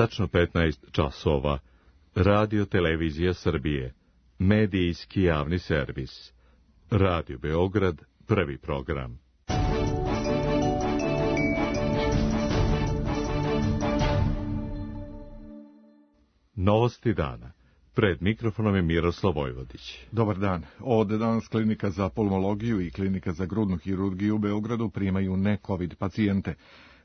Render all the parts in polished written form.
Tačno 15 časova. Radio Televizija Srbije. Medijski javni servis. Radio Beograd, prvi program. Novosti dana. Pred mikrofonom je Miroslav Vojvodić. Dobar dan. Od danas Klinika za pulmologiju i Klinika za grudnu hirurgiju u Beogradu primaju ne-covid pacijente.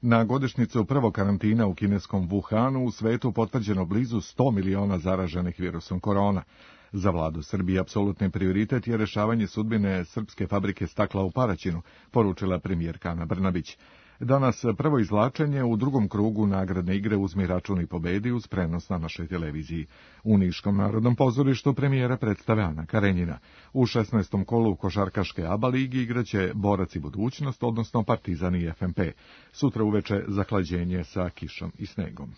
Na godišnjicu prvog karantina u kineskom Wuhanu u svetu potvrđeno blizu 100 miliona zaraženih virusom korona. Za vladu Srbije apsolutni prioritet je rešavanje sudbine srpske fabrike stakla u Paraćinu, poručila premijerka Ana Brnabić. Danas prvo izvlačenje u drugom krugu nagradne igre Uzmi račun i pobedi uz prenos na našoj televiziji. U Niškom narodnom pozorištu premijera predstave Ana Karenjina. U 16. kolu košarkaške ABA ligi igraće Borac i budućnost, odnosno Partizan i FNP. Sutra uveče zahlađenje sa kišom i snegom.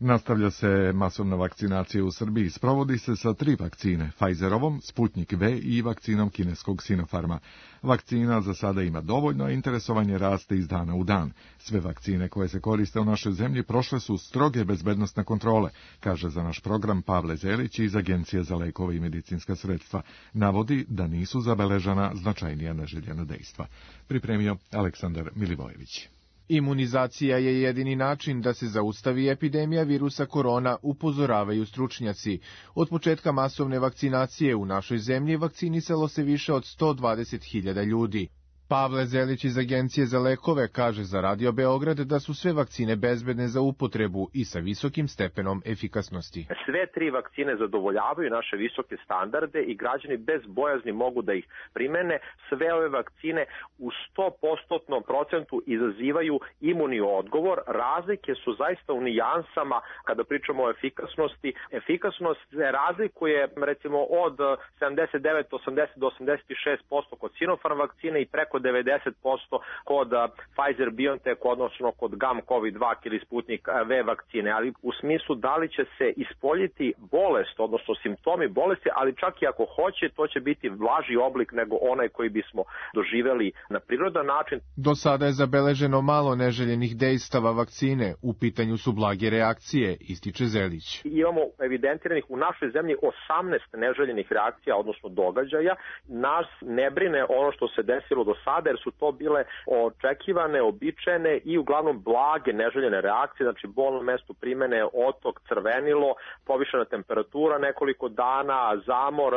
Nastavlja se masovna vakcinacija u Srbiji. Sprovodi se sa 3 vakcine, Pfizerovom, Sputnik V i vakcinom kineskog Sinopharma. Vakcina za sada ima dovoljno, a interesovanje raste iz dana u dan. Sve vakcine koje se koriste u našoj zemlji prošle su stroge bezbednosne kontrole, kaže za naš program Pavle Zelić iz Agencije za lekove i medicinska sredstva. Navodi da nisu zabeležena značajnija neželjena dejstva. Pripremio Aleksandar Milivojević. Imunizacija je jedini način da se zaustavi epidemija virusa korona, upozoravaju stručnjaci. Od početka masovne vakcinacije u našoj zemlji vakcinisalo se više od 120.000 ljudi. Pavle Zelić iz Agencije za lekove kaže za Radio Beograd da su sve vakcine bezbedne za upotrebu i sa visokim stepenom efikasnosti. Sve 3 vakcine zadovoljavaju naše visoke standarde i građani bez bojazni mogu da ih primene. Sve ove vakcine u 100% izazivaju imunni odgovor. Razlike su zaista u nijansama kada pričamo o efikasnosti. Efikasnost se razlikuje recimo od 79, 80 do 86% kod Sinopharm vakcine i preko 90% kod Pfizer-BioNTech, odnosno kod GAM-COVID-2 ili Sputnik V vakcine, ali u smislu da li će se ispoljiti bolest, odnosno simptomi bolesti, ali čak i ako hoće, to će biti blaži oblik nego onaj koji bismo doživeli na prirodan način. Do sada je zabeleženo malo neželjenih dejstava vakcine, u pitanju su blage reakcije, ističe Zelić. Imamo evidentiranih u našoj zemlji 18 neželjenih reakcija, odnosno događaja. Nas ne brine ono što se desilo do sada, jer su to bile očekivane, običajene i uglavnom blage neželjene reakcije, znači bol na mestu primene, otok, crvenilo, povišena temperatura nekoliko dana, zamor,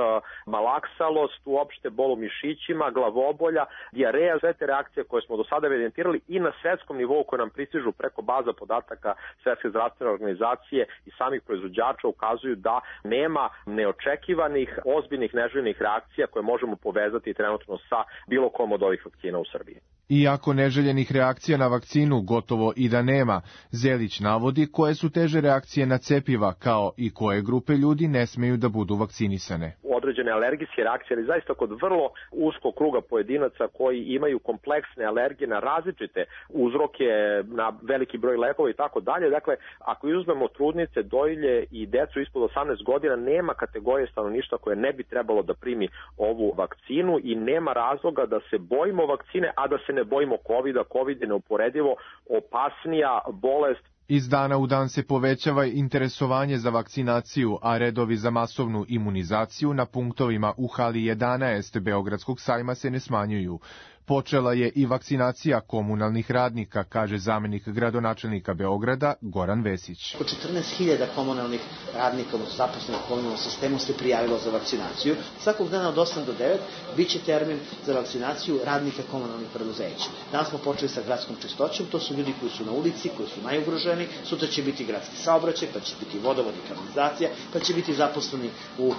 malaksalost, uopšte bol u mišićima, glavobolja, dijareja, sve te reakcije koje smo do sada evidentirali i na svetskom nivou koje nam pristižu preko baza podataka Svetske zdravstvene organizacije i samih proizvođača ukazuju da nema neočekivanih, ozbiljnih neželjenih reakcija koje možemo povezati trenutno sa bilo kom od ovih vakcina u Srbiji. Iako neželjenih reakcija na vakcinu gotovo i da nema, Zelić navodi koje su teže reakcije na cepiva, kao i koje grupe ljudi ne smeju da budu vakcinisane. Određene alergijske reakcije, ali zaista kod vrlo uskog kruga pojedinaca koji imaju kompleksne alergije na različite uzroke, na veliki broj lekova i tako dalje. Dakle, ako uzmemo trudnice, dojilje i decu ispod 18 godina, nema kategorije stanovništva koje ne bi trebalo da primi ovu vakcinu i nema razloga da se bojimo vakcine, a da se ne bojimo COVID-a. COVID je neuporedivo opasnija bolest. Iz dana u dan se povećava interesovanje za vakcinaciju, a redovi za masovnu imunizaciju na punktovima u hali 11 Beogradskog sajma se ne smanjuju. Počela je i vakcinacija komunalnih radnika, kaže zamenik gradonačelnika Beograda Goran Vesić. Oko 14.000 komunalnih radnika zaposlenih u komunalnom sistemu se prijavilo za vakcinaciju. Svakog dana od 8 do 9 biće termin za vakcinaciju radnika komunalnih preduzeća. Danas smo počeli sa gradskom čistoćom, to su ljudi koji su na ulici, koji su najugroženi, sutra će biti gradski saobraćaj, pa će biti vodovod i kanalizacija, pa će biti zaposleni u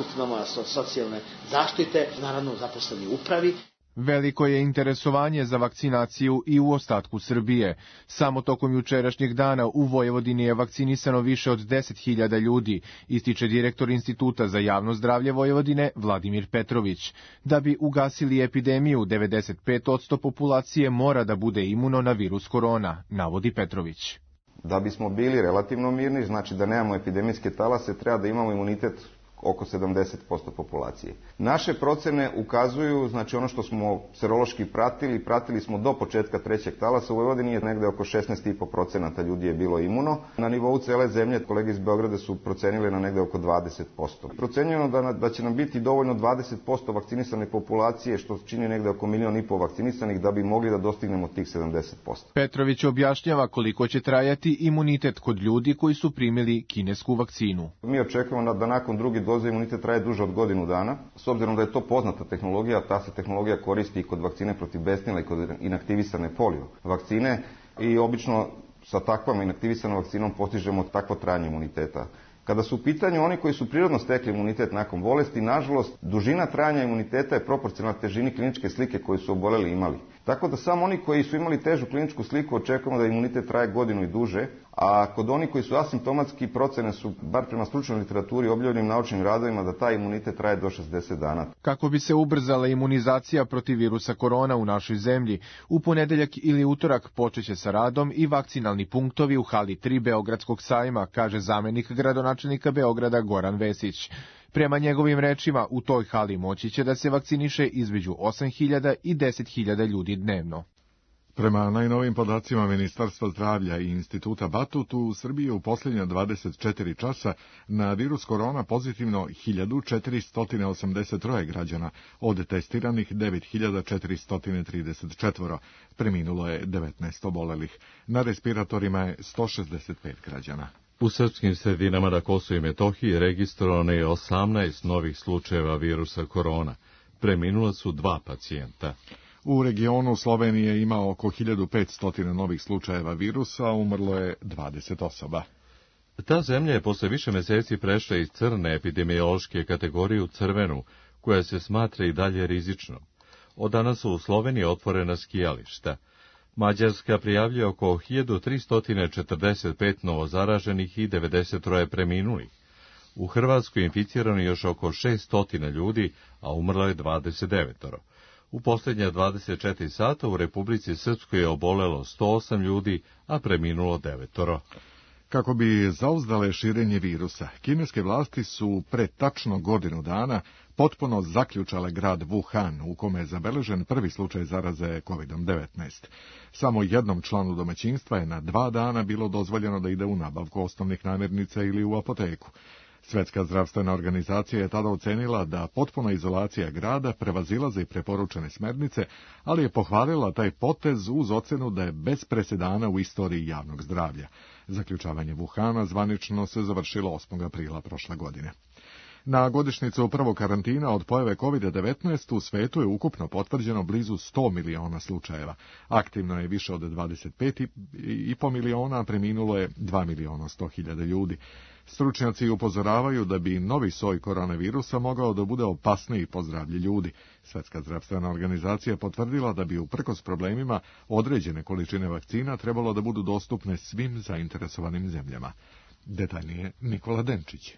ustanovama socijalne zaštite, naravno zaposleni u upravi. Veliko je interesovanje za vakcinaciju i u ostatku Srbije. Samo tokom jučerašnjeg dana u Vojvodini je vakcinisano više od 10.000 ljudi, ističe direktor Instituta za javno zdravlje Vojvodine Vladimir Petrović. Da bi ugasili epidemiju, 95% populacije mora da bude imuno na virus korona, navodi Petrović. Da bismo bili relativno mirni, znači da nemamo epidemijske talase, treba da imamo imunitet oko 70% populacije. Naše procene ukazuju, znači ono što smo serološki pratili smo do početka trećeg talasa, u Vojvodini je negde oko 16,5% ljudi je bilo imuno. Na nivou cele zemlje, kolege iz Beograda su procenili na negde oko 20%. Procenjujemo da će nam biti dovoljno 20% vakcinisane populacije, što čini negde oko 1,5 miliona vakcinisanih, da bi mogli da dostignemo tih 70%. Petrović objašnjava koliko će trajati imunitet kod ljudi koji su primili kinesku vakcinu. Mi očekujemo da nakon druge doze imunitet traje duže od godinu dana. S obzirom da je to poznata tehnologija, ta se tehnologija koristi i kod vakcine protiv besnila i kod inaktivisane polio vakcine i obično sa takvom inaktivisanom vakcinom postižemo takvo trajanje imuniteta. Kada su u pitanju oni koji su prirodno stekli imunitet nakon bolesti, nažalost, dužina trajanja imuniteta je proporcionalna težini kliničke slike koju su oboleli imali. Tako da samo oni koji su imali težu kliničku sliku očekujemo da imunitet traje godinu i duže, a kod onih koji su asimptomatski, procene su, bar prema stručnoj literaturi, objavljenim naučnim radovima, da taj imunitet traje do 60 dana. Kako bi se ubrzala imunizacija protiv virusa korona u našoj zemlji, u ponedeljak ili utorak počeće sa radom i vakcinalni punktovi u hali 3 Beogradskog sajma, kaže zamenik gradonačelnika Beograda Goran Vesić. Prema njegovim rečima, u toj hali moći će da se vakciniše između 8.000 i 10.000 ljudi dnevno. Prema najnovim podacima Ministarstva zdravlja i Instituta Batut, u Srbiji u posljednja 24 časa na virus korona pozitivno 1483 građana, od testiranih 9434. Preminulo je 19 obolelih. Na respiratorima je 165 građana. U srpskim sredinama na Kosovu i Metohiji registrovano je 18 novih slučajeva virusa korona. Preminula su 2 pacijenta. U regionu Slovenije ima oko 1500 novih slučajeva virusa, a umrlo je 20 osoba. Ta zemlja je posle više meseci prešla iz crne epidemiološke kategorije u crvenu, koja se smatra i dalje rizičnom. Od danas su u Sloveniji otvorena skijališta. Mađarska prijavljuje oko 1345 novozaraženih i 93 preminulih. U Hrvatskoj inficirano još oko 600 ljudi, a umrlo je 29. U posljednja 24 sata u Republici Srpskoj je obolelo 108 ljudi, a preminulo 9. Kako bi zauzdale širenje virusa, kineske vlasti su pre tačno godinu dana potpuno zaključale grad Wuhan, u kome je zabeležen prvi slučaj zaraze COVID-19. Samo jednom članu domaćinstva je na 2 dana bilo dozvoljeno da ide u nabavku osnovnih namirnica ili u apoteku. Svetska zdravstvena organizacija je tada ocenila da potpuna izolacija grada prevazilaze i preporučene smernice, ali je pohvalila taj potez uz ocenu da je bez presedana u istoriji javnog zdravlja. Zaključavanje Wuhana zvanično se završilo 8. aprila prošle godine. Na godišnjicu prvog karantina od pojave COVID-19 u svetu je ukupno potvrđeno blizu 100 miliona slučajeva. Aktivno je više od 25,5 miliona, a preminulo je 2.100.000 ljudi. Stručnjaci upozoravaju da bi novi soj koronavirusa mogao da bude opasniji po zdravlje ljudi. Svetska zdravstvena organizacija potvrdila da bi uprkos problemima određene količine vakcina trebalo da budu dostupne svim zainteresovanim zemljama. Detaljnije Nikola Denčić.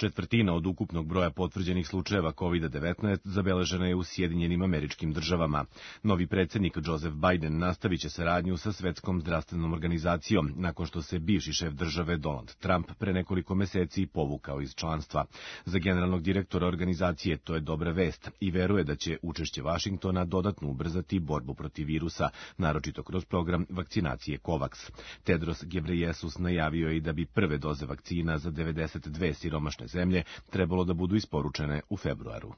Četvrtina od ukupnog broja potvrđenih slučajeva COVID-19 zabeležena je u Sjedinjenim Američkim Državama. Novi predsjednik Joseph Biden nastavit će saradnju sa Svetskom zdravstvenom organizacijom, nakon što se bivši šef države Donald Trump pre nekoliko meseci povukao iz članstva. Za generalnog direktora organizacije to je dobra vest i veruje da će učešće Vašingtona dodatno ubrzati borbu protiv virusa, naročito kroz program vakcinacije COVAX. Tedros Ghebreyesus najavio je i da bi prve doze vakcina za 92 siromašne zemlje trebalo da budu isporučene u februaru.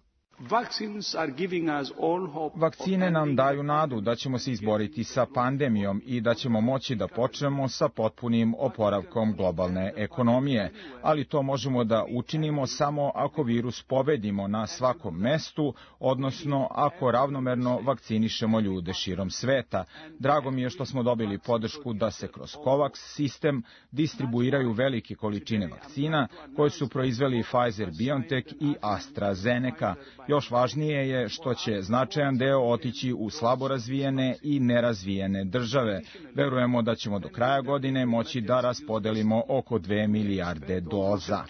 Vakcine nam daju nadu da ćemo se izboriti sa pandemijom i da ćemo moći da počnemo sa potpunim oporavkom globalne ekonomije, ali to možemo da učinimo samo ako virus pobedimo na svakom mestu, odnosno ako ravnomerno vakcinišemo ljude širom sveta. Drago mi je što smo dobili podršku da se kroz COVAX sistem distribuiraju velike količine vakcina koje su proizveli Pfizer-BioNTech i AstraZeneca. Još važnije je što će značajan deo otići u slabo razvijene i nerazvijene države. Verujemo da ćemo do kraja godine moći da raspodelimo oko 2 milijarde doza.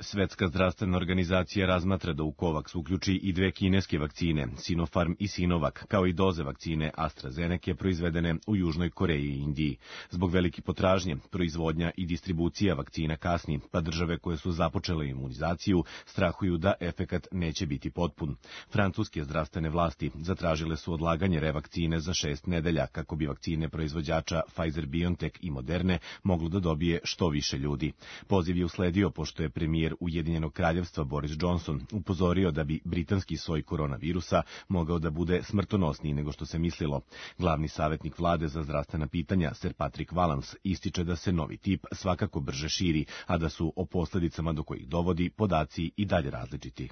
Svetska zdravstvena organizacija razmatra da u COVAX uključi i 2 kineske vakcine, Sinopharm i Sinovac, kao i doze vakcine AstraZeneca proizvedene u Južnoj Koreji i Indiji. Zbog velike potražnje, proizvodnja i distribucija vakcina kasni, pa države koje su započele imunizaciju strahuju da efekat neće biti potpun. Francuske zdravstvene vlasti zatražile su odlaganje revakcine za 6 nedelja kako bi vakcine proizvođača Pfizer-BioNTech i Moderne moglo da dobije što više ljudi. Poziv je usledio pošto je premijer Ujedinjenog kraljevstva Boris Johnson upozorio da bi britanski soj koronavirusa mogao da bude smrtonosniji nego što se mislilo. Glavni savjetnik vlade za zdravstvena pitanja, Sir Patrick Vallance, ističe da se novi tip svakako brže širi, a da su o posljedicama do kojih dovodi podaci i dalje različiti.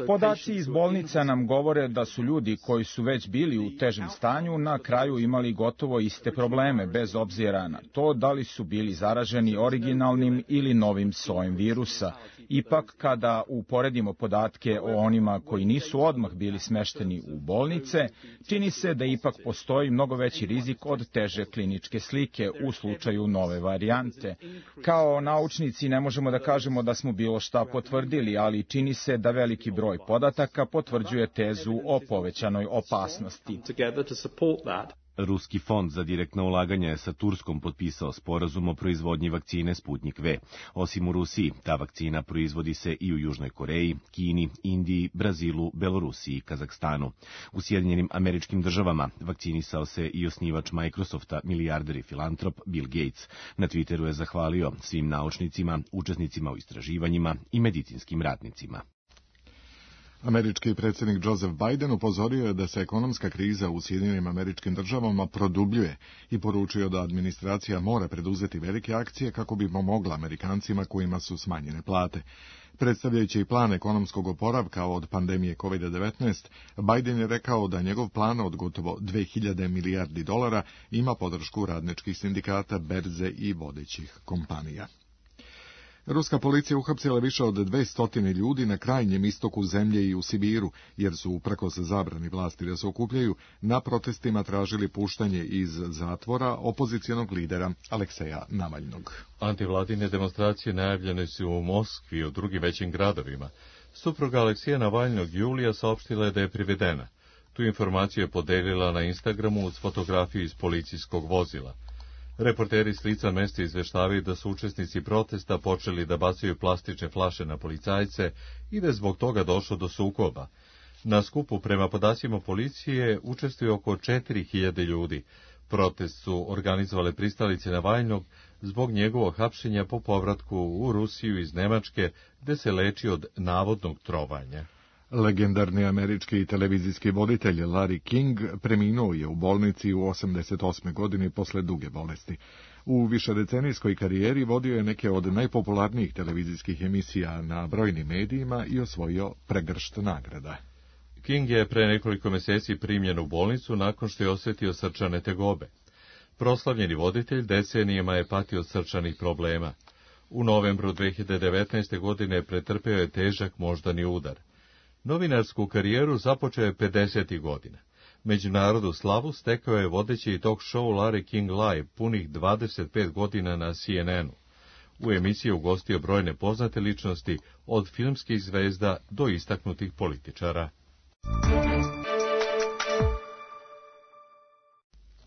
Podaci iz bolnica nam govore da su ljudi koji su već bili u težem stanju na kraju imali gotovo iste probleme, bez obzira na to da li su bili zaraženi originalnim ili novim sojem virusa. Ipak, kada uporedimo podatke o onima koji nisu odmah bili smešteni u bolnice, čini se da ipak postoji mnogo veći rizik od teže kliničke slike u slučaju nove varijante. Kao naučnici ne možemo da kažemo da smo bilo šta potvrdili, ali čini se da veliki broj podataka potvrđuje tezu o povećanoj opasnosti. Ruski fond za direktna ulaganja je sa Turskom potpisao sporazum o proizvodnji vakcine Sputnik V. Osim u Rusiji, ta vakcina proizvodi se i u Južnoj Koreji, Kini, Indiji, Brazilu, Belorusiji i Kazahstanu. U Sjedinjenim Američkim Državama vakcinisao se i osnivač Microsofta, milijarder i filantrop Bill Gates. Na Twitteru je zahvalio svim naučnicima, učesnicima u istraživanjima i medicinskim radnicima. Američki predsjednik Joseph Biden upozorio je da se ekonomska kriza u Sjedinjenim Američkim Državama produbljuje i poručio da administracija mora preduzeti velike akcije kako bi pomogla Amerikancima kojima su smanjene plate. Predstavljajući plan ekonomskog oporavka od pandemije COVID-19, Biden je rekao da njegov plan od gotovo 2000 milijardi dolara ima podršku radničkih sindikata, berze i vodećih kompanija. Ruska policija uhapsila više od 200 ljudi na krajnjem istoku zemlje i u Sibiru, jer su, uprkos zabrani vlasti da se okupljaju, na protestima tražili puštanje iz zatvora opozicionog lidera Alekseja Navaljnog. Antivladine demonstracije najavljene su u Moskvi i u drugim većim gradovima. Supruga Alekseja Navaljnog Julija saopštila je da je privedena. Tu informaciju je podelila na Instagramu uz fotografiju iz policijskog vozila. Reporteri s lica mesta izveštavaju da su učesnici protesta počeli da bacaju plastične flaše na policajce i da je zbog toga došlo do sukoba. Na skupu, prema podacima policije, učestvuje oko 4000 ljudi. Protest su organizovale pristalice Navaljnog zbog njegovog hapšenja po povratku u Rusiju iz Nemačke, gde se leči od navodnog trovanja. Legendarni američki televizijski voditelj Larry King preminuo je u bolnici u 88. godini posle duge bolesti. U višedecenijskoj karijeri vodio je neke od najpopularnijih televizijskih emisija na brojnim medijima i osvojio pregršt nagrada. King je pre nekoliko meseci primljen u bolnicu nakon što je osjetio srčane tegobe. Proslavljeni voditelj decenijama je patio od srčanih problema. U novembru 2019. godine pretrpeo je težak moždani udar. Novinarsku karijeru započeo je 50. godina. Međunarodnu slavu stekao je vodeći talk show Larry King Live punih 25 godina na CNN-u. U emisiji je ugostio brojne poznate ličnosti, od filmskih zvezda do istaknutih političara.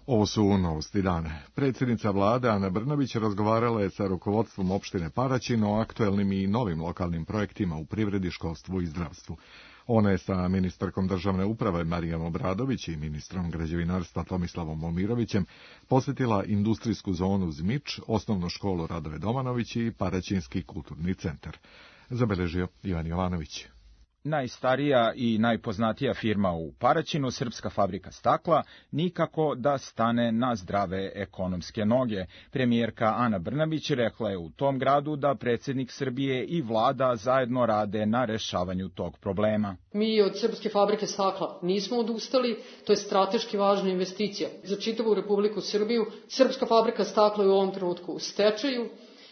Ovo su novosti dana. Predsjednica vlade Ana Brnabić razgovarala je sa rukovodstvom opštine Paraćin o aktuelnim i novim lokalnim projektima u privredi, školstvu i zdravstvu. Ona je sa ministarkom državne uprave Marijom Obradović i ministrom građevinarstva Tomislavom Momirovićem posjetila industrijsku zonu Zmič, osnovnu školu Radove Domanović i Paraćinski kulturni centar. Zabeležio Ivan Jovanović. Najstarija i najpoznatija firma u Paraćinu, Srpska fabrika stakla, nikako da stane na zdrave ekonomske noge. Premijerka Ana Brnabić rekla je u tom gradu da predsjednik Srbije i vlada zajedno rade na rešavanju tog problema. Mi od Srpske fabrike stakla nismo odustali, to je strateški važna investicija za čitavu Republiku Srbiju. Srpska fabrika stakla je u ovom trenutku u stečaju.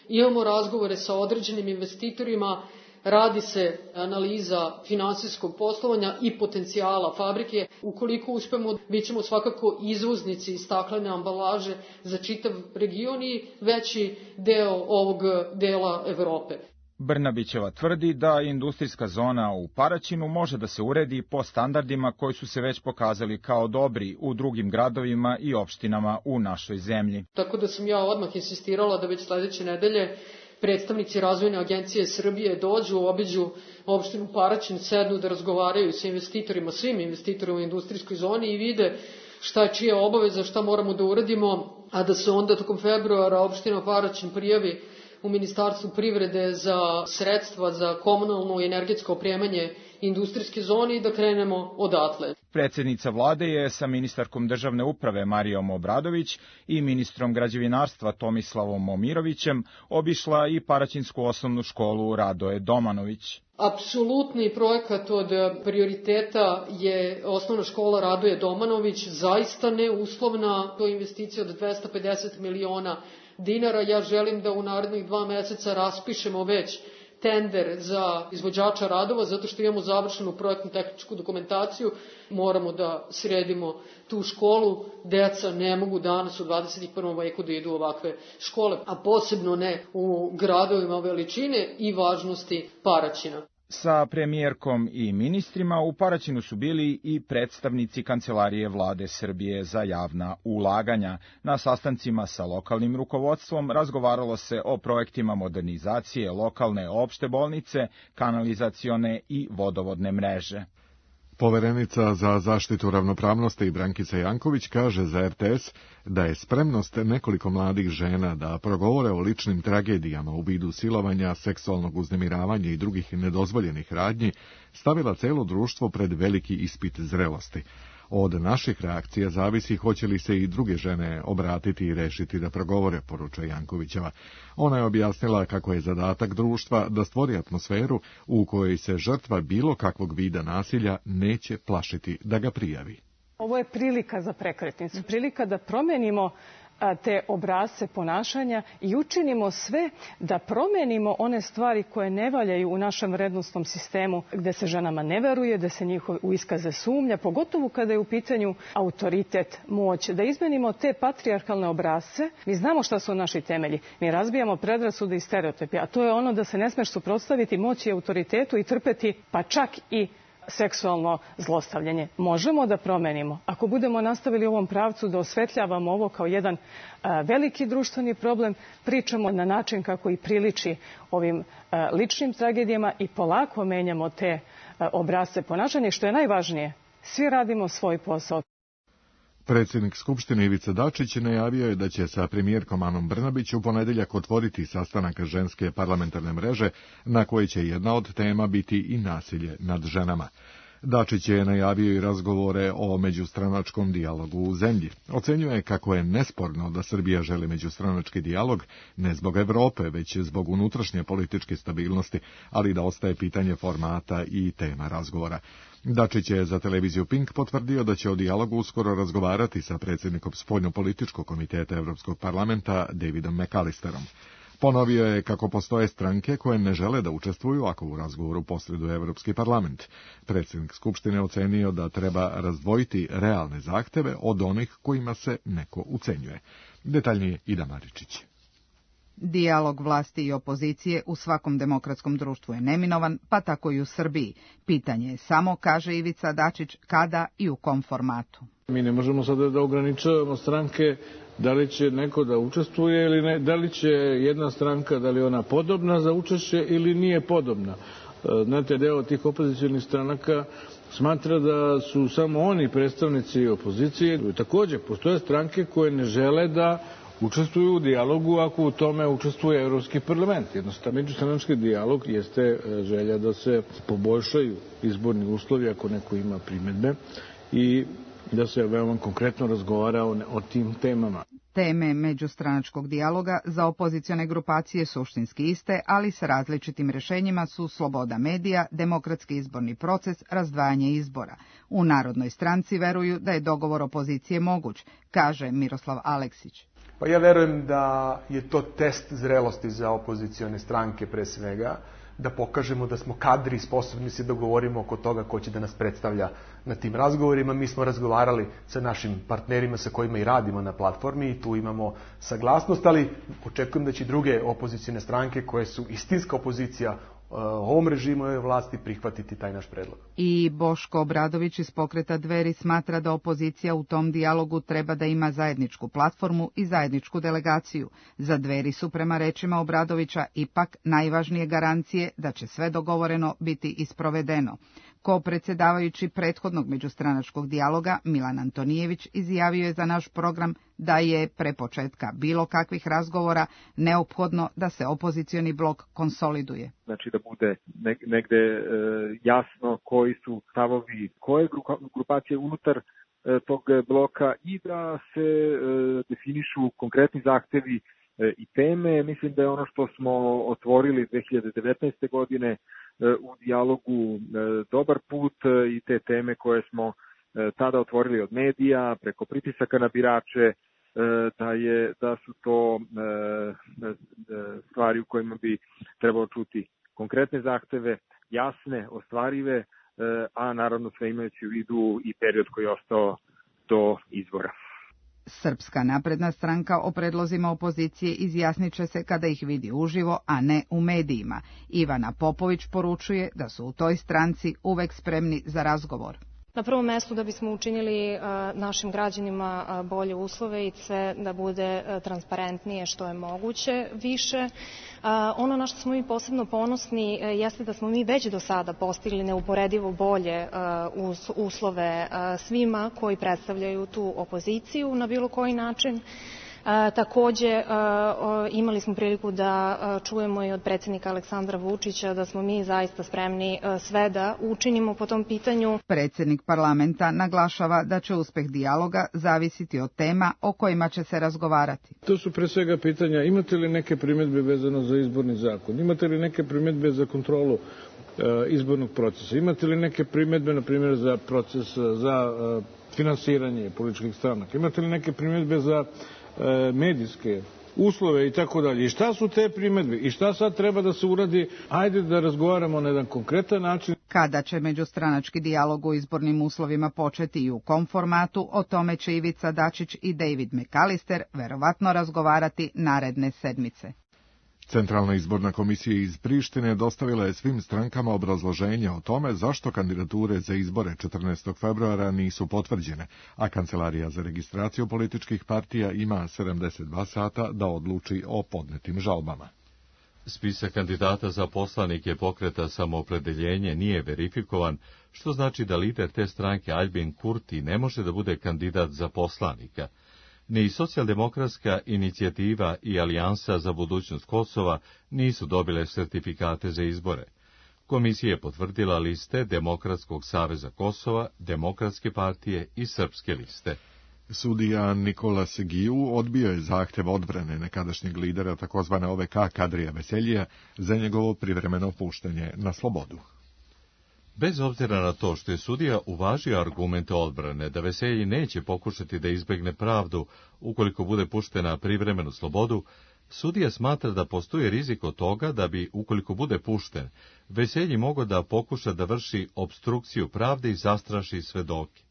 Imamo razgovore sa određenim investitorima radi se analiza finansijskog poslovanja i potencijala fabrike. Ukoliko uspemo, bit ćemo svakako izvoznici staklene ambalaže za čitav region i veći deo ovog dela Evrope. Brnabićeva tvrdi da industrijska zona u Paraćinu može da se uredi po standardima koji su se već pokazali kao dobri u drugim gradovima i opštinama u našoj zemlji. Tako da sam ja odmah insistirala da već sledeće nedelje predstavnici Razvojne agencije Srbije dođu, obiđu opštinu Paraćin, sednu da razgovaraju sa investitorima, svim investitorima u industrijskoj zoni i vide šta je čija obaveza, šta moramo da uradimo, a da se onda tokom februara opština Paraćin prijavi u Ministarstvu privrede za sredstva za komunalno i energetsko opremanje industrijske zone i da krenemo odatle. Predsjednica vlade je sa ministarkom državne uprave Marijom Obradović i ministrom građevinarstva Tomislavom Momirovićem obišla i Paraćinsku osnovnu školu Radoje Domanović. Apsolutni projekat od prioriteta je osnovna škola Radoje Domanović, zaista neuslovna, to je investicija od 250 miliona dinara. Ja želim da u narednih 2 meseca raspišemo već tender za izvođača radova, zato što imamo završenu projektnu tehničku dokumentaciju. Moramo da sredimo tu školu. Deca ne mogu danas u 21. veku da idu u ovakve škole, a posebno ne u gradovima veličine i važnosti Paraćina. Sa premijerkom i ministrima u Paraćinu su bili i predstavnici Kancelarije vlade Srbije za javna ulaganja. Na sastancima sa lokalnim rukovodstvom razgovaralo se o projektima modernizacije lokalne opšte bolnice, kanalizacione i vodovodne mreže. Poverenica za zaštitu ravnopravnosti Brankica Janković kaže za RTS da je spremnost nekoliko mladih žena da progovore o ličnim tragedijama u vidu silovanja, seksualnog uznemiravanja i drugih nedozvoljenih radnji stavila celo društvo pred veliki ispit zrelosti. Od naših reakcija zavisi hoće li se i druge žene obratiti i rešiti da progovore, poručuje Jankovićeva. Ona je objasnila kako je zadatak društva da stvori atmosferu u kojoj se žrtva bilo kakvog vida nasilja neće plašiti da ga prijavi. Ovo je prilika za prekretnicu, prilika da promenimo te obrasce ponašanja i učinimo sve da promenimo one stvari koje ne valjaju u našem vrednostnom sistemu, gde se ženama ne veruje, da se njihove u iskaze sumnja, pogotovo kada je u pitanju autoritet, moć, da izmenimo te patrijarhalne obrasce. Mi znamo šta su naši temelji. Mi razbijamo predrasude i stereotipe, a to je ono da se ne smeš suprotstaviti moći i autoritetu i trpeti, pa čak i seksualno zlostavljanje. Možemo da promenimo. Ako budemo nastavili u ovom pravcu da osvetljavamo ovo kao jedan veliki društveni problem, pričamo na način kako i priliči ovim ličnim tragedijama i polako menjamo te obrasce ponašanja. Što je najvažnije, svi radimo svoj posao. Predsjednik Skupštine Ivica Dačić najavio je da će sa premijerkom Anom Brnabić u ponedeljak otvoriti sastanak ženske parlamentarne mreže, na kojoj će jedna od tema biti i nasilje nad ženama. Dačić je najavio i razgovore o međustranačkom dijalogu u zemlji. Ocenjuje kako je nesporno da Srbija želi međustranački dijalog ne zbog Evrope, već zbog unutrašnje političke stabilnosti, ali da ostaje pitanje formata i tema razgovora. Dačić je za televiziju Pink potvrdio da će o dijalogu uskoro razgovarati sa predsjednikom spoljnopolitičkog komiteta Evropskog parlamenta Davidom McAllisterom. Ponovio je kako postoje stranke koje ne žele da učestvuju ako u razgovoru posreduje Evropski parlament. Predsjednik Skupštine ocenio da treba razdvojiti realne zahteve od onih kojima se neko ucenjuje. Detaljnije Ida Maričić. Dijalog vlasti i opozicije u svakom demokratskom društvu je neminovan, pa tako i u Srbiji. Pitanje je samo, kaže Ivica Dačić, kada i u kom formatu. Mi ne možemo sada da ograničavamo stranke da li će neko da učestvuje ili ne, da li će jedna stranka, da li ona podobna za učešće ili nije podobna. Znate, deo tih opozicionih stranaka smatra da su samo oni predstavnici opozicije. Također, postoje stranke koje ne žele da učestvuju u dijalogu ako u tome učestvuje Evropski parlament. Jednostavno, međustranački dijalog jeste želja da se poboljšaju izborni uslovi ako neko ima primedbe i da se veoma konkretno razgovara o tim temama. Teme međustranačkog dijaloga za opozicione grupacije suštinski iste, ali sa različitim rješenjima su sloboda medija, demokratski izborni proces, razdvajanje izbora. U Narodnoj stranci veruju da je dogovor opozicije moguć, kaže Miroslav Aleksić. Pa ja verujem da je to test zrelosti za opozicione stranke pre svega, da pokažemo da smo kadri i sposobni se dogovorimo oko toga ko će da nas predstavlja na tim razgovorima. Mi smo razgovarali sa našim partnerima sa kojima i radimo na platformi i tu imamo saglasnost, ali očekujem da će druge opozicione stranke koje su istinska opozicija ovom režimu ove vlasti prihvatiti taj naš predlog. I Boško Obradović iz Pokreta Dveri smatra da opozicija u tom dijalogu treba da ima zajedničku platformu i zajedničku delegaciju. Za Dveri su, prema rečima Obradovića, ipak najvažnije garancije da će sve dogovoreno biti isprovedeno. Ko-predsjedavajući prethodnog međustranačkog dijaloga, Milan Antonijević, izjavio je za naš program da je pre početka bilo kakvih razgovora neophodno da se opozicioni blok konsoliduje. Znači da bude negde jasno koji su stavovi koje grupacije unutar tog bloka i da se definišu konkretni zahtevi i teme. Mislim da je ono što smo otvorili 2019. godine u dijalogu dobar put i te teme koje smo tada otvorili od medija, preko pritisaka na birače, da su to stvari u kojima bi trebalo čuti konkretne zahteve, jasne, ostvarive, a naravno sve imajući u vidu i period koji je ostao do izbora. Srpska napredna stranka o predlozima opozicije izjasnit će se kada ih vidi uživo, a ne u medijima. Ivana Popović poručuje da su u toj stranci uvek spremni za razgovor. Na prvom mestu da bismo učinili našim građanima bolje uslove i sve da bude transparentnije što je moguće više. Ono na što smo mi posebno ponosni jeste da smo mi već do sada postigli neuporedivo bolje uslove svima koji predstavljaju tu opoziciju na bilo koji način. Takođe, imali smo priliku da čujemo i od predsjednika Aleksandra Vučića da smo mi zaista spremni sve da učinimo po tom pitanju. Predsjednik parlamenta naglašava da će uspeh dijaloga zavisiti od tema o kojima će se razgovarati. To su pre svega pitanja, imate li neke primjedbe vezano za izborni zakon, imate li neke primjedbe za kontrolu izbornog procesa, imate li neke primjedbe, na primjer, za proces, za finansiranje političkih stranaka, imate li neke primjedbe za medijske uslove i tako dalje. I šta su te primjedbe? I šta sad treba da se uradi? Ajde da razgovaramo na jedan konkretan način. Kada će međustranački dijalog u izbornim uslovima početi i u kom formatu, o tome će Ivica Dačić i David McAllister verovatno razgovarati naredne sedmice. Centralna izborna komisija iz Prištine dostavila je svim strankama obrazloženje o tome zašto kandidature za izbore 14. februara nisu potvrđene, a Kancelarija za registraciju političkih partija ima 72 sata da odluči o podnetim žalbama. Spisak kandidata za poslanike Pokreta Samoopredeljenje nije verifikovan, što znači da lider te stranke Albin Kurti ne može da bude kandidat za poslanika. Ni socijaldemokratska inicijativa i Alijansa za budućnost Kosova nisu dobile sertifikate za izbore. Komisija je potvrdila liste Demokratskog saveza Kosova, Demokratske partije i Srpske liste. Sudija Nikola Segiju odbio je zahtev odbrane nekadašnjeg lidera takozvane OVK Kadrija Veseljija za njegovo privremeno puštanje na slobodu. Bez obzira na to što je sudija uvažio argumente odbrane da Veselji neće pokušati da izbegne pravdu ukoliko bude pušten na privremenu slobodu, sudija smatra da postoji rizik od toga da bi, ukoliko bude pušten, Veselji mogao da pokuša da vrši opstrukciju pravde i zastraši svedoke.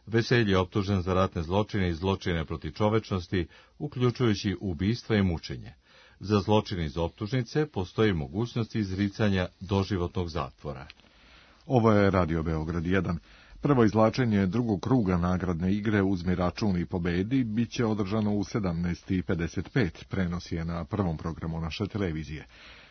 Veselji je optužen za ratne zločine i zločine protiv čovečnosti, uključujući ubistva i mučenje. Za zločine iz optužnice postoji mogućnost izricanja doživotnog zatvora. Ovo je Radio Beograd 1. Prvo izvlačenje drugog kruga nagradne igre Uzmi račun i pobedi biće održano u 17:55. Prenos je na prvom programu naše televizije.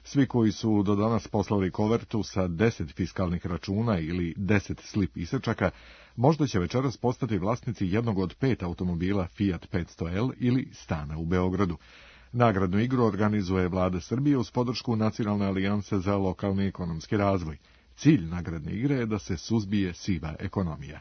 Svi koji su do danas poslali kovertu sa 10 fiskalnih računa ili 10 slip isečaka, možda će večeras postati vlasnici jednog od 5 automobila Fiat 500L ili stana u Beogradu. Nagradnu igru organizuje Vlada Srbije uz podršku Nacionalne alijanse za lokalni ekonomski razvoj. Cilj nagradne igre je da se suzbije siva ekonomija.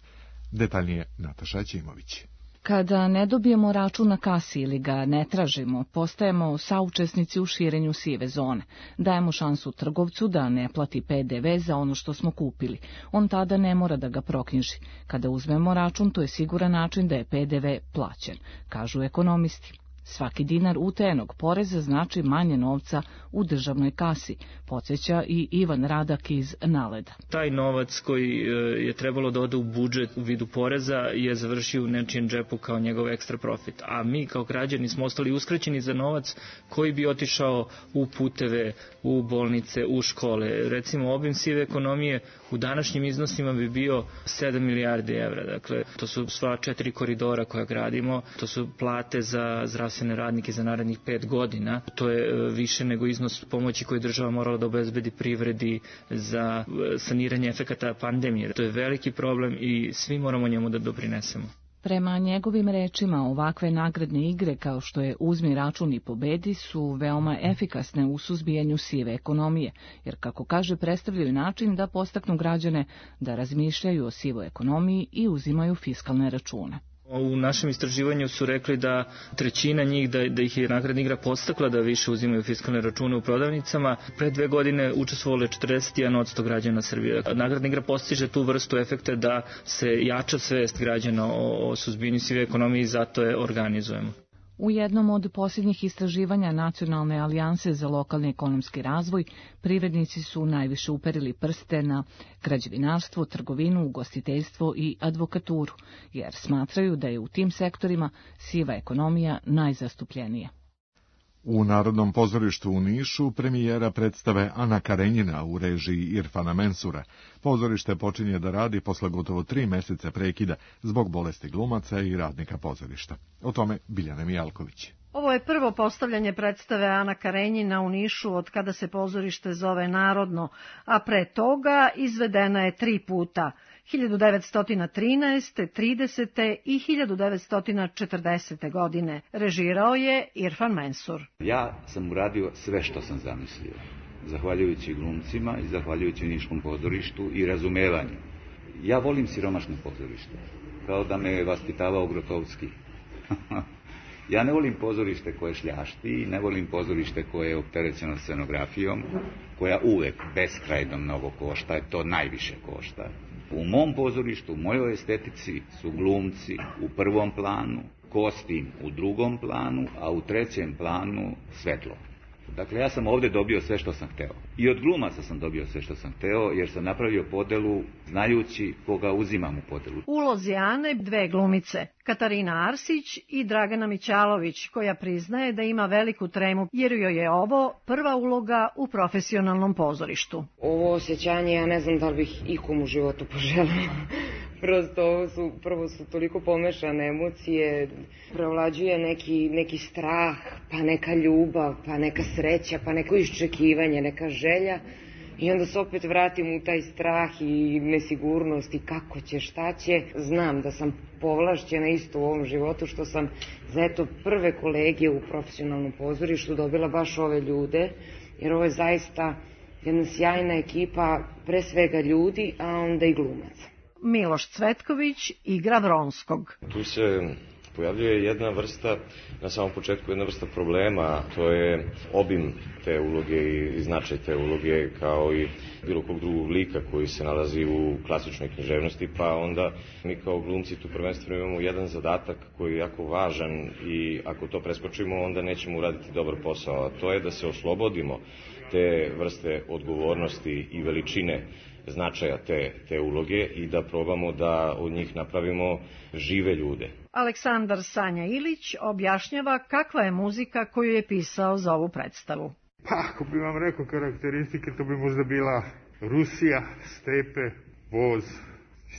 Detaljnije Nataša Ćimović. Kada ne dobijemo račun na kasi ili ga ne tražimo, postajemo saučesnici u širenju sive zone. Dajemo šansu trgovcu da ne plati PDV za ono što smo kupili. On tada ne mora da ga proknjiži. Kada uzmemo račun, to je siguran način da je PDV plaćen, kažu ekonomisti. Svaki dinar utajenog poreza znači manje novca u državnoj kasi, podsjeća i Ivan Radak iz Naleda. Taj novac koji je trebalo da ode u budžet u vidu poreza je završio u nečijem džepu kao njegov ekstra profit. A mi kao građani smo ostali uskraćeni za novac koji bi otišao u puteve, u bolnice, u škole. Recimo, obim sive ekonomije u današnjim iznosima bi bio 7 milijardi evra. Dakle, to su sva 4 koridora koja gradimo, to su plate za zdravstvene radnike za narednih 5 godina. To je više nego iznos pomoći koji država morala da obezbedi privredi za saniranje efekata pandemije. To je veliki problem i svi moramo njemu da doprinesemo. Prema njegovim rečima, ovakve nagradne igre kao što je Uzmi račun i pobedi su veoma efikasne u suzbijanju sive ekonomije, jer, kako kaže, predstavljaju način da podstaknu građane da razmišljaju o sivoj ekonomiji i uzimaju fiskalne račune. U našem istraživanju su rekli da trećina njih, da ih je nagradna igra podstakla da više uzimaju fiskalne račune u prodavnicama. Pre 2 godine učestvovalo je 41% građana Srbije. Nagradna igra postiže tu vrstu efekta da se jača svest građana o suzbijanju sive ekonomije i zato je organizujemo. U jednom od posljednjih istraživanja Nacionalne alijanse za lokalni ekonomski razvoj, privrednici su najviše uperili prste na građevinarstvo, trgovinu, ugostiteljstvo i advokaturu, jer smatraju da je u tim sektorima siva ekonomija najzastupljenija. U Narodnom pozorištu u Nišu premijera predstave Ana Karenjina u režiji Irfana Mensura. Pozorište počinje da radi posle gotovo 3 meseca prekida zbog bolesti glumaca i radnika pozorišta. O tome Biljana Mijalković. Ovo je prvo postavljanje predstave Ana Karenjina u Nišu od kada se pozorište zove Narodno, a pre toga izvedena je 3 puta. 1913., 30. i 1940. godine. Režirao je Irfan Mensur. Ja sam uradio sve što sam zamislio, zahvaljujući glumcima i zahvaljujući Niškom pozorištu i razumevanju. Ja volim siromašno pozorište, kao da me je vaspitavao Grotowski. Ja ne volim pozorište koje šljašti, ne volim pozorište koje je opterećeno scenografijom, koja uvek beskrajno mnogo košta, to najviše košta. U mom pozorištu, u mojoj estetici su glumci u prvom planu, kostim u drugom planu, a u trećem planu svetlo. Dakle, ja sam ovdje dobio sve što sam hteo. I od glumaca sam dobio sve što sam hteo, jer sam napravio podelu znajući koga uzimam u podelu. U ulozi Ane 2 glumice, Katarina Arsić i Dragana Mićalović, koja priznaje da ima veliku tremu, jer joj je ovo prva uloga u profesionalnom pozorištu. Ovo osjećanje, ja ne znam da li bih ikom u životu poželila. Prosto prvo su toliko pomešane emocije, preovlađuje neki strah, pa neka ljubav, pa neka sreća, pa neko iščekivanje, neka želja. I onda se opet vratim u taj strah i nesigurnost i kako će, šta će. Znam da sam povlašćena isto u ovom životu, što sam za prve kolegije u profesionalnom pozorištu dobila baš ove ljude, jer ovo je zaista jedna sjajna ekipa, pre svega ljudi, a onda i glumaca. Miloš Cvetković igra Vronskog. Tu se pojavljuje jedna vrsta, na samom početku jedna vrsta problema, to je obim te uloge i značaj te uloge, kao i bilo kog drugog lika koji se nalazi u klasičnoj književnosti, pa onda mi kao glumci tu prvenstveno imamo jedan zadatak koji je jako važan i ako to preskočimo onda nećemo uraditi dobar posao, a to je da se oslobodimo te vrste odgovornosti i veličine značaja te uloge i da probamo da od njih napravimo žive ljude. Aleksandar Sanja Ilić objašnjava kakva je muzika koju je pisao za ovu predstavu. Pa, ako bi vam rekao karakteristike, to bi možda bila Rusija, stepe, voz,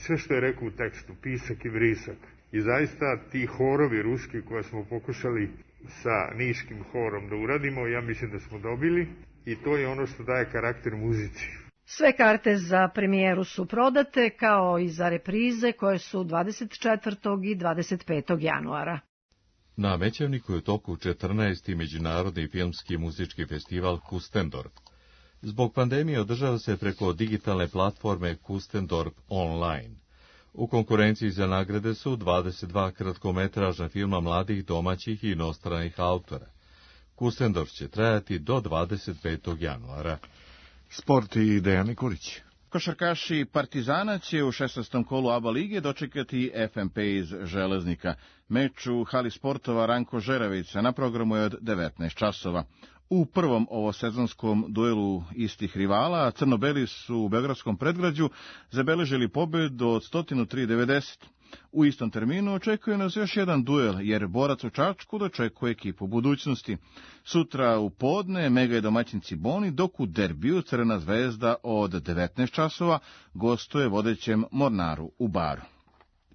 sve što je rekao u tekstu, pisak i vrisak. I zaista ti horovi ruski koje smo pokušali sa niškim horom da uradimo, ja mislim da smo dobili i to je ono što daje karakter muzici. Sve karte za premijeru su prodate, kao i za reprize koje su 24. i 25. januara. Na Mećevniku je u toku 14. Međunarodni filmski i muzički festival Kustendorf. Zbog pandemije održava se preko digitalne platforme Kustendorf Online. U konkurenciji za nagrade su 22 kratkometražna filma mladih, domaćih i inostranih autora. Kustendorf će trajati do 25. januara. Sport i Dejan Nikolić. Košarkaši Partizana će u 16. kolu ABA lige dočekati FNP iz Železnika. Meč u hali sportova Ranko Žeravica na programu je od 19 časova. U prvom ovosezonskom duelu istih rivala, crno-beli su u beogradskom predgrađu zabeležili pobedu od 103-90. U istom terminu očekuje nas još jedan duel, jer borac u Čačku dočekuje ekipu budućnosti. Sutra u podne Mega i domaćin Ciboni, dok u derbiju Crvena zvezda od 19 časova gostuje vodećem Mornaru u Baru.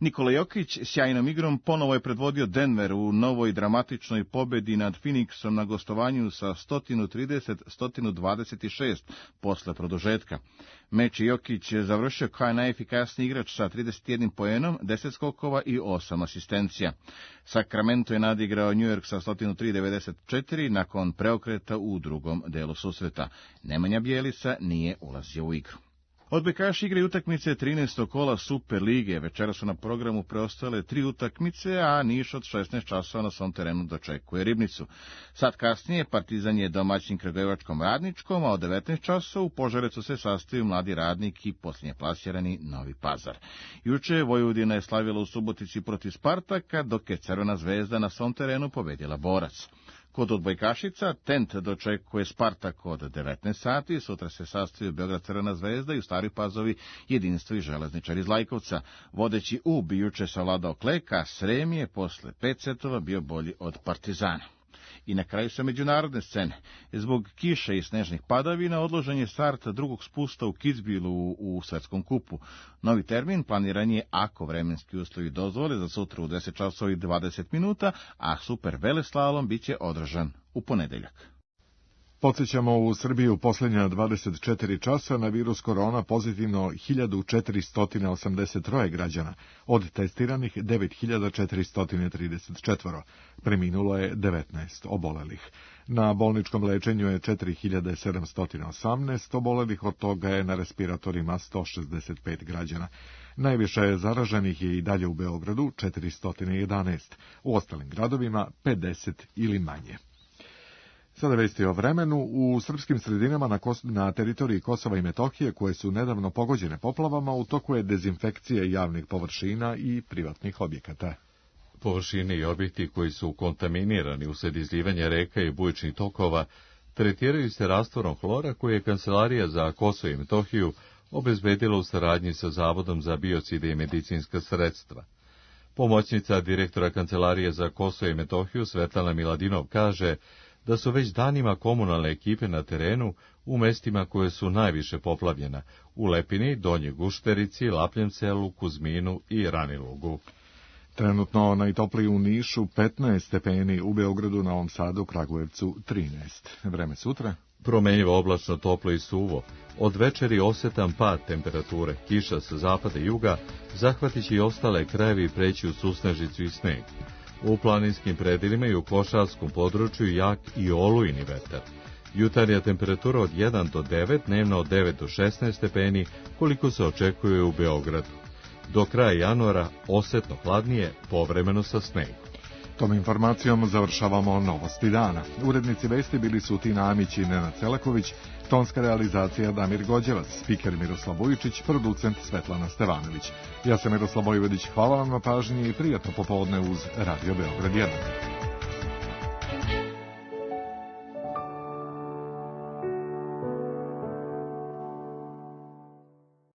Nikola Jokić sjajnom igrom ponovo je predvodio Denver u novoj dramatičnoj pobedi nad Phoenixom na gostovanju sa 130-126 posle produžetka. Meč Jokić je završio kao najefikasniji igrač sa 31 poenom, 10 skokova i 8 asistencija. Sacramento je nadigrao New York sa 103-94 nakon preokreta u drugom delu susreta. Nemanja Bjelica nije ulazio u igru. Odbojkaši igraju utakmice 13. kola Super lige. Večera su na programu preostale 3 utakmice, a Niš od 16 časova na svom terenu dočekuje Ribnicu. Sad kasnije Partizan je domaćin Kragujevačkom Radničkom, a od 19 časova u Požarecu se sastaju Mladi Radnik i posljednje plasirani Novi Pazar. Juče Vojvodina je slavila u Subotici protiv Spartaka, dok je Crvena zvezda na svom terenu pobedila Borac. Kod odbojkašica Tent dočekuje Spartak od 19 sati, sutra se sastaju Beograd Crvena zvezda i u Staroj Pazovi Jedinstvo i Železničar iz Lajkovca. Vodeći UB juče savladao Kleka, a Srem je posle 5 setova bio bolji od Partizana. I na kraju sa međunarodne scene. Zbog kiše i snežnih padavina odložen je start drugog spusta u Kitzbühelu u svetskom kupu. Novi termin planiran je ako vremenski uslovi dozvole za sutra u 10 časova i 20 minuta, a super veleslalom biće održan u ponedeljak. Podsjećamo, u Srbiji u posljednja 24 časa na virus korona pozitivno 1483 građana, od testiranih 9434. Preminulo je 19 obolelih. Na bolničkom lečenju je 4718 obolelih, od toga je na respiratorima 165 građana. Najviše je zaraženih je i dalje u Beogradu, 411, u ostalim gradovima 50 ili manje. Sada vesti o vremenu. U srpskim sredinama na teritoriji Kosova i Metohije, koje su nedavno pogođene poplavama, u toku je dezinfekcija javnih površina i privatnih objekata. Površine i objekti koji su kontaminirani usled izlivanja reka i bujičnih tokova tretiraju se rastvorom hlora koji je Kancelarija za Kosovo i Metohiju obezbedila u saradnji sa Zavodom za biocide i medicinska sredstva. Pomoćnica direktora Kancelarije za Kosovo i Metohiju Svetlana Miladinov kaže da su već danima komunalne ekipe na terenu u mestima koje su najviše poplavljena, u Lepini, Donjoj Gušterici, Lapljem selu, Kuzminu i Ranilugu. Trenutno najtopliji u Nišu 15 stepeni, u Beogradu, Novom Sadu, Kragujevcu 13. Vreme sutra? Promenjivo, oblačno, toplo i suvo. Od večeri osetan pad temperature, kiša sa zapada i juga, zahvatići i ostale krajevi i preći u susnežicu i sneg. U planinskim predelima i u košarskom području jak i olujni vetar. Jutarnja temperatura od 1 do 9, dnevno od 9 do 16 stepeni, koliko se očekuje u Beogradu. Do kraja januara osetno hladnije, povremeno sa snegom. Tom informacijom završavamo novosti dana. Urednici vesti bili su Tina Amić i Nenad Celaković, tonska realizacija Damir Gođevac, spiker Miroslav Vujičić, producent Svetlana Stevanović. Ja sam Miroslav Vojvodić, hvala vam na pažnji i prijatno popodne uz Radio Beograd 1.